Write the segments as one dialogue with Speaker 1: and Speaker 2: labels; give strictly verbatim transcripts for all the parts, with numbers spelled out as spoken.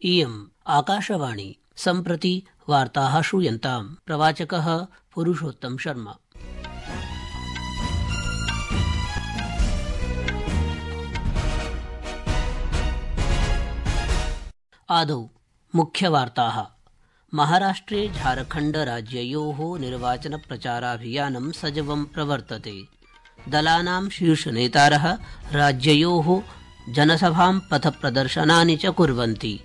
Speaker 1: इयम् आकाशवाणी सम्प्रति वार्ताः श्रूयन्ताम्। प्रवाचकः पुरुषोत्तम शर्मा। आदौ मुख्यवार्ताः। महाराष्ट्रे झारखण्ड राज्ययोः निर्वाचनप्रचाराभियानं सजवं प्रवर्तते। दलानां शीर्षनेतारः राज्ययोः जनसभां पथप्रदर्शनानि च कुर्वन्ति।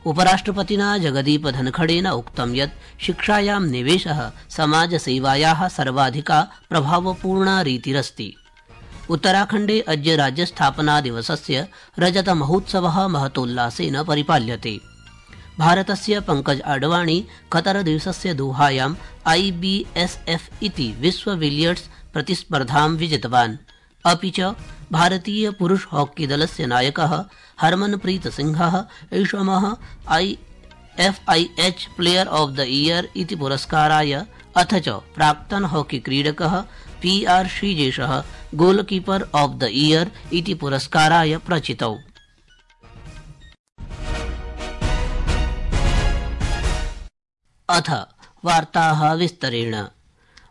Speaker 1: उपराष्ट्रपतिना जगदीप धनखड़ेन उक्तं यत् शिक्षायां निवेशः समाजसेवायाः सर्वाधिका प्रभावपूर्णा रीतिरस्ति। उत्तराखण्डे अद्य राज्यस्थापनादिवसस्य रजतमहोत्सवः महतोल्लासेन परिपाल्यते। भारतस्य पंकज आडवाणी कतरदिवसस्य दोहायां आई बी एस एफ इति विश्व बिलियर्ड्स प्रतिस्पर्धां विजितवान्। अपि च भारतीय पुरुष हॉकी दलस्य नायकः हरमनप्रीत सिंहः ऐषमः I F I H player of the year इति पुरस्काराय अथ च प्राक्तन हॉकी क्रीडकः पी आर श्रीजेशः गोलकीपर ऑफ द ईयर इति पुरस्काराय प्रचितौ। अथ वार्ताः विस्तरेण।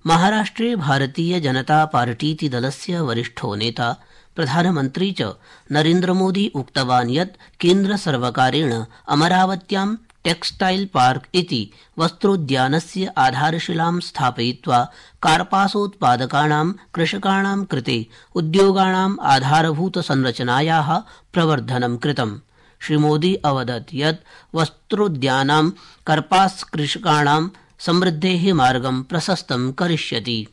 Speaker 1: महाराष्ट्रे भारतीय जनता पार्टीति दलस्य वरिष्ठो नेता प्रधानमन्त्री च नरेन्द्रमोदी उक्तवान् यत् केन्द्रसर्वकारेण अमरावत्यां टेक्सटाइल पार्क इति वस्त्रोद्यानस्य आधारशिलां स्थापयित्वा कार्पासोत्पादकानां कृषकाणां कृते उद्योगाणाम् आधारभूतसंरचनायाः प्रवर्धनं कृतम्। श्रीमोदी अवदत् यत् वस्त्रोद्यानां कार्पास कृषकाणां समृद्धेः मार्गं प्रशस्तं करिष्यति।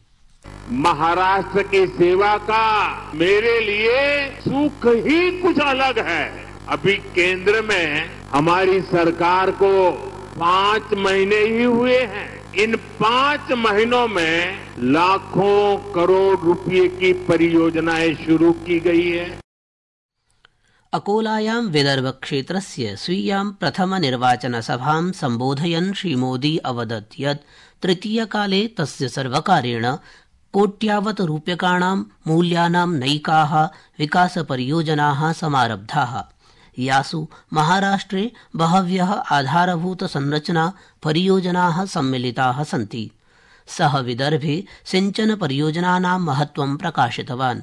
Speaker 2: महाराष्ट्र की सेवा का मेरे लिए सुख ही कुछ अलग है। अभी केंद्र में हमारी सरकार को पांच महीने ही हुए हैं। इन पांच महीनों में लाखों करोड़ रुपए की परियोजनाएं शुरू की गई है।
Speaker 1: अकोलायां विदर्भ क्षेत्रस्य स्वीयां प्रथम निर्वाचन सभां सम्बोधयन् श्रीमोदी अवदत् यत् तृतीयकाले तस्य सर्वकारेण कोट्यावत् रूप्यकाणां मूल्यानां नैकाः विकासपरियोजनाः समारब्धाः, यासु महाराष्ट्रे बहव्यः आधारभूतसंरचना परियोजनाः सम्मिलिताः सन्ति। सः विदर्भे सिंचन परियोजनानां महत्त्वं प्रकाशितवान्।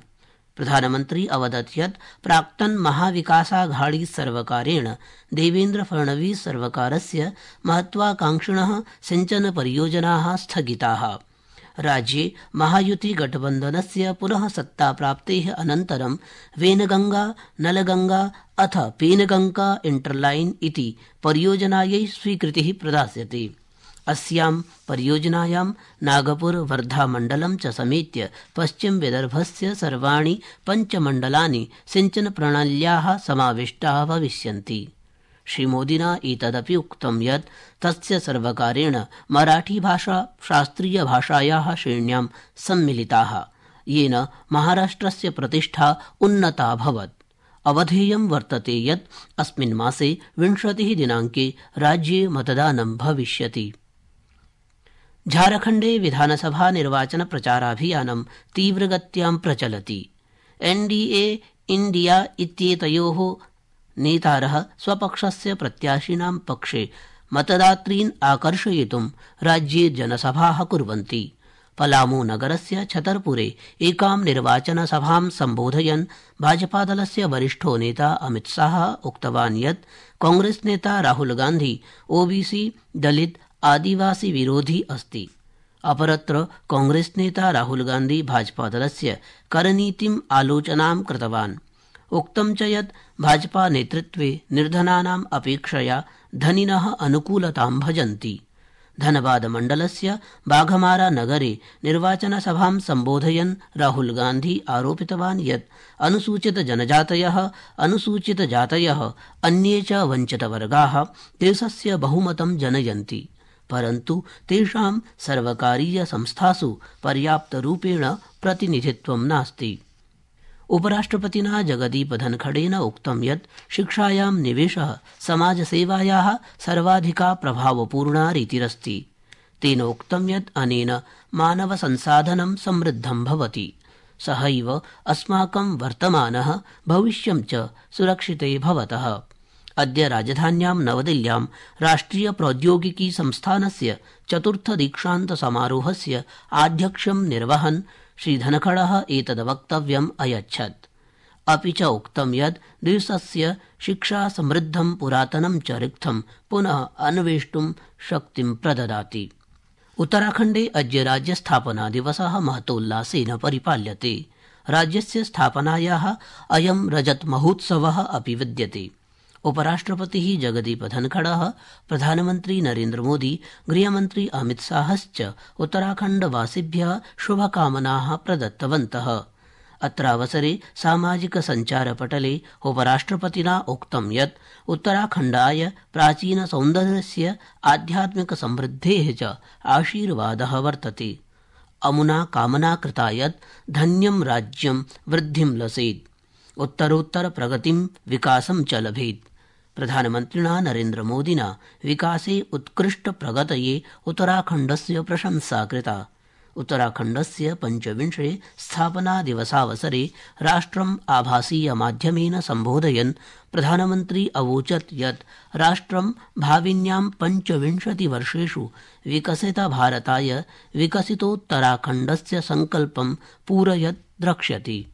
Speaker 1: प्रधानमन्त्री अवदत् यत् प्राक्तन महाविकासाघाड़ी सर्वकारेण देवेन्द्र फडणवीस सर्वकारस्य महत्वाकांक्षिणः सिंचन परियोजनाः स्थगिताः। राज्ये महायुति गठबन्धनस्य पुनः सत्ताप्राप्तेः अनन्तरं वेनगंगा नलगंगा अथ पेनगंगा इंटरलाइन इति परियोजनायै स्वीकृतिः प्रदास्यते। अस्यां परियोजनायां नागपुर वर्धा मण्डलं च समेत्य पश्चिम विदर्भस्य सर्वाणि पञ्चमण्डलानि सिंचन प्रणाल्याः समाविष्टाः भविष्यन्ति। श्रीमोदिना एतदपि उक्तं यत् तस्य सर्वकारेण मराठीभाषा शास्त्रीयभाषायाः श्रेण्यां सम्मिलिताः, येन महाराष्ट्रस्य प्रतिष्ठा उन्नता अभवत्। अवधेयं वर्तते यत् अस्मिन् मासे विंशतिः दिनाङ्के राज्ये मतदानं भविष्यति। झारखण्डे विधानसभा निर्वाचन प्रचाराभियानं तीव्रगत्यां प्रचलति। एनडीए इंडिया इत्येतयोः नेतारः स्वपक्षस्य प्रत्याशिनां पक्षे मतदातॄन् आकर्षयितुं राज्ये जनसभाः कुर्वन्ति। पलामू नगरस्य छतरपुरे एकां निर्वाचनसभां सम्बोधयन् भाजपादलस्य वरिष्ठो नेता अमित शाह उक्तवान् यत् कांग्रेस नेता राहुल गांधी ओबीसी दलित आदिवासी विरोधी अस्ति। अपरत्र कांग्रेस नेता राहुल गांधी भाजपादलस्य करनीतिम् आलोचनां कृतवान्। उक्तं च यत् भाजपा नेतृत्वे निर्धनानाम् अपेक्षया धनिनः अनुकूलतां भजन्ति। धनबाद मण्डलस्य बाघमारा नगरे निर्वाचनसभां सम्बोधयन् राहुल गांधी आरोपितवान् यत् अनुसूचित जनजातयः अनुसूचित जातयः अन्ये च वञ्चितवर्गाः देशस्य बहुमतं जनयन्ति, परन्तु तेषां सर्वकारीय संस्थासु पर्याप्तरूपेण प्रतिनिधित्वं नास्ति। उपराष्ट्रपतिना जगदीप धनखड़ेन उक्तं यत् शिक्षायां निवेशः समाजसेवायाः सर्वाधिका प्रभावपूर्णा रीतिरस्ति। तेन उक्तं यत् अनेन मानवसंसाधनं समृद्धं भवति, सहैव अस्माकं वर्तमानः भविष्यं च सुरक्षिते भवतः। अद्य राजधान्यां नवदिल्ल्यां राष्ट्रिय प्रौद्योगिकी संस्थानस्य चतुर्थ दीक्षान्त समारोहस्य आध्यक्ष्यं निर्वहन् श्रीधनखडः एतद् वक्तव्यम् अयच्छत्। अपि च उक्तं यत् देशस्य शिक्षा समृद्धं पुरातनं च रिक्थं पुनः अन्वेष्टुं शक्तिं प्रददाति। उत्तराखण्डे अद्य राज्यस्थापना दिवसः महतोल्लासेन परिपाल्यते। राज्यस्य स्थापनायाः अयं रजत महोत्सवः अपि विद्यते। उपराष्ट्रपतिः जगदीप धनखडः, प्रधानमन्त्री नरेन्द्रमोदी, गृहमन्त्री अमितशाहश्च उत्तराखण्डवासिभ्यः शुभकामनाः प्रदत्तवन्तः। अत्रावसरे सामाजिक सञ्चारपटले उपराष्ट्रपतिना उक्तं यत् उत्तराखण्डाय प्राचीन सौन्दर्यस्य आध्यात्मिक समृद्धेः च आशीर्वादः वर्तते। अमुना कामना कृता यत् धन्यं राज्यं वृद्धिं लसेत्, उत्तरोत्तर प्रगतिं विकासं च लभेत्। प्रधानमन्त्रिणा नरेन्द्रमोदिना विकासे उत्कृष्ट प्रगतये उत्तराखण्डस्य प्रशंसा कृता। उत्तराखण्डस्य पञ्चविंशे स्थापना दिवसावसरे राष्ट्रम् आभासीय माध्यमेन सम्बोधयन् प्रधानमन्त्री अवोचत् यत् राष्ट्रं भाविन्यां पञ्चविंशति वर्षेषु विकसित भारताय विकसितोत्तराखण्डस्य संकल्पं पूरयत् द्रक्ष्यति।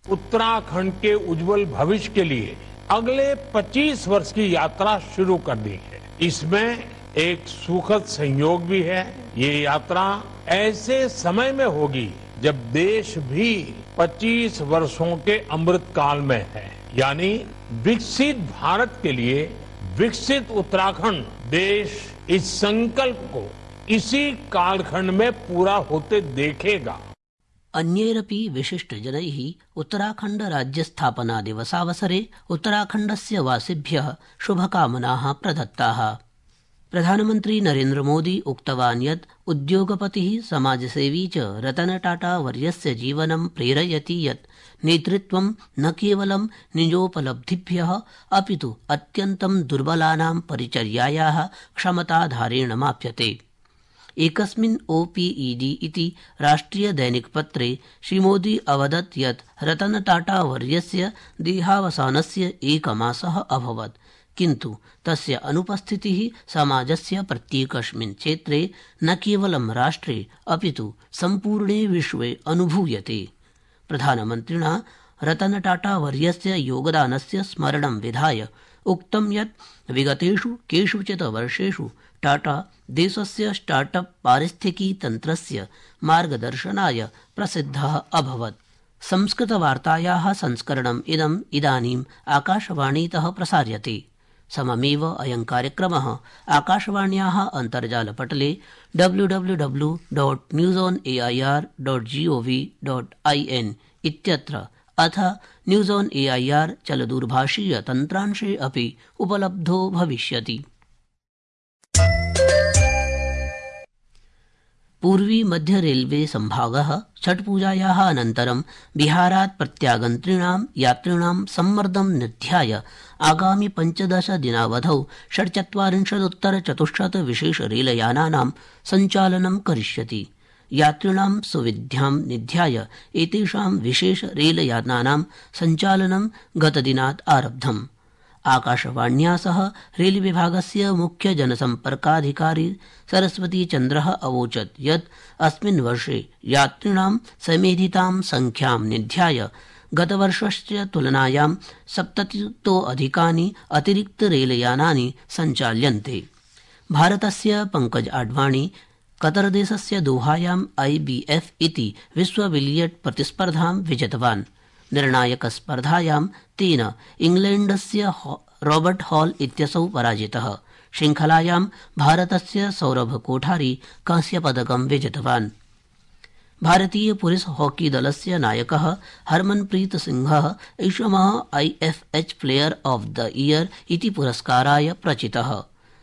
Speaker 3: उत्तराखंड के उज्जवल भविष्य के लिए अगले पच्चीस वर्ष की यात्रा शुरू कर दी है। इसमें एक सुखद संयोग भी है। ये यात्रा ऐसे समय में होगी जब देश भी पच्चीस वर्षों के अमृत काल में है, यानी विकसित भारत के लिए विकसित उत्तराखंड देश इस संकल्प को इसी कालखंड में पूरा होते देखेगा।
Speaker 1: अन्यैरपि विशिष्टजनैः उत्तराखण्ड राज्यस्थापना दिवसावसरे उत्तराखण्डस्य वासिभ्यः शुभकामनाः प्रदत्ताः। प्रधानमन्त्री नरेन्द्रमोदी उक्तवान् यत् उद्योगपतिः समाजसेवी च रतन टाटा वर्यस्य जीवनं प्रेरयति यत् नेतृत्वं न केवलं निजोपलब्धिभ्यः अपितु अत्यन्तं दुर्बलानां परिचर्यायाः क्षमताधारेण माप्यते। एकस्मिन् ओपीईडी इति राष्ट्रिय दैनिकपत्रे श्रीमोदी अवदत् यत् रतन टाटा वर्यस्य देहावसानस्य एकमासः अभवत्, किन्तु तस्य अनुपस्थितिः समाजस्य प्रत्येकस्मिन् क्षेत्रे न केवलं राष्ट्रे अपितु सम्पूर्णे विश्वे अनुभूयते। प्रधानमन्त्रिणा रतन टाटा वर्यस्य योगदानस्य स्मरणं विधाय उक्तं यत् विगतेषु केषुचित् वर्षेषु टाटा देशस्य स्टार्टअप पारिस्थितिकी तन्त्रस्य मार्गदर्शनाय प्रसिद्धः अभवत्। संस्कृतवार्तायाः संस्करणम् इदम् इदानीम् आकाशवाणीतः प्रसार्यते। सममेव अयं कार्यक्रमः आकाशवाण्याः अन्तर्जालपटले W W W dot news on A I R dot G O V dot I N इत्यत्र अथ news on A I R चलदूरभाषीय तन्त्रांशे अपि उपलब्धो भविष्यति। पूर्वी मध्य रेलवे संभागः छठपूजायाः अनन्तरं बिहारात् प्रत्यागन्तॄणां यात्रिणां सम्मर्दं निध्याय आगामि पञ्चदश दिनावधौ षड्चत्वारिंशदुत्तर चतुश्शत विशेष रेलयानानां सञ्चालनं करिष्यति। यात्रिणां सुविध्यां निध्याय एतेषां विशेष रेलयानानां सञ्चालनं गतदिनात् आरब्धम्। आकाशवाण्या सह रेलविभागस्य मुख्य जनसम्पर्काधिकारी सरस्वती चन्द्रः अवोचत् यत् अस्मिन् वर्षे यात्रिणां समेधितां संख्यां निध्याय गतवर्षस्य तुलनायां सप्ततितोऽधिकानि अतिरिक्त रेलयानानि सञ्चाल्यन्ते। भारतस्य पंकज आडवाणी कतरदेशस्य दोहायां आई बी एफ इति विश्व बिलियर्ड प्रतिस्पर्धां विजितवान्। निर्णायकस्पर्धायां तेन इंग्लैण्डस्य रॉबर्ट हॉल इत्यसौ पराजितः। श्रृंखलायां भारतस्य सौरभ कोठारी कांस्यपदकं विजितवान्। भारतीय पुरुष हॉकी दलस्य नायकः हरमनप्रीत सिंहः ऐषमः I F H player of the year इति पुरस्काराय प्रचितः।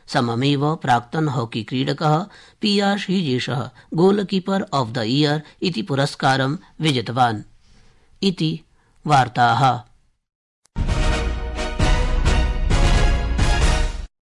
Speaker 1: सममेव प्राक्तन हॉकी क्रीडकः पी आर श्रीजेशः गोलकीपर ऑफ द ईयर इति पुरस्कारं विजितवान्। इति वार्ताः।